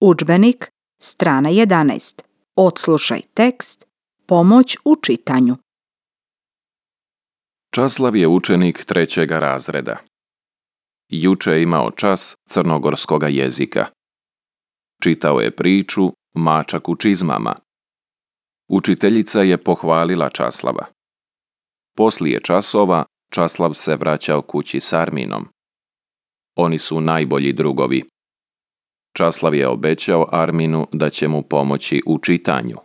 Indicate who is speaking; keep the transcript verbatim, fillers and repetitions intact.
Speaker 1: Udžbenik, strana jedanaest. Odslušaj tekst. Pomoć u čitanju.
Speaker 2: Časlav je učenik trećega razreda. Juče je imao čas crnogorskoga jezika. Čitao je priču Mačak u čizmama. Učiteljica je pohvalila Časlava. Poslije časova Časlav se vraćao kući s Arminom. Oni su najbolji drugovi. Časlav je obećao Arminu da će mu pomoći u čitanju.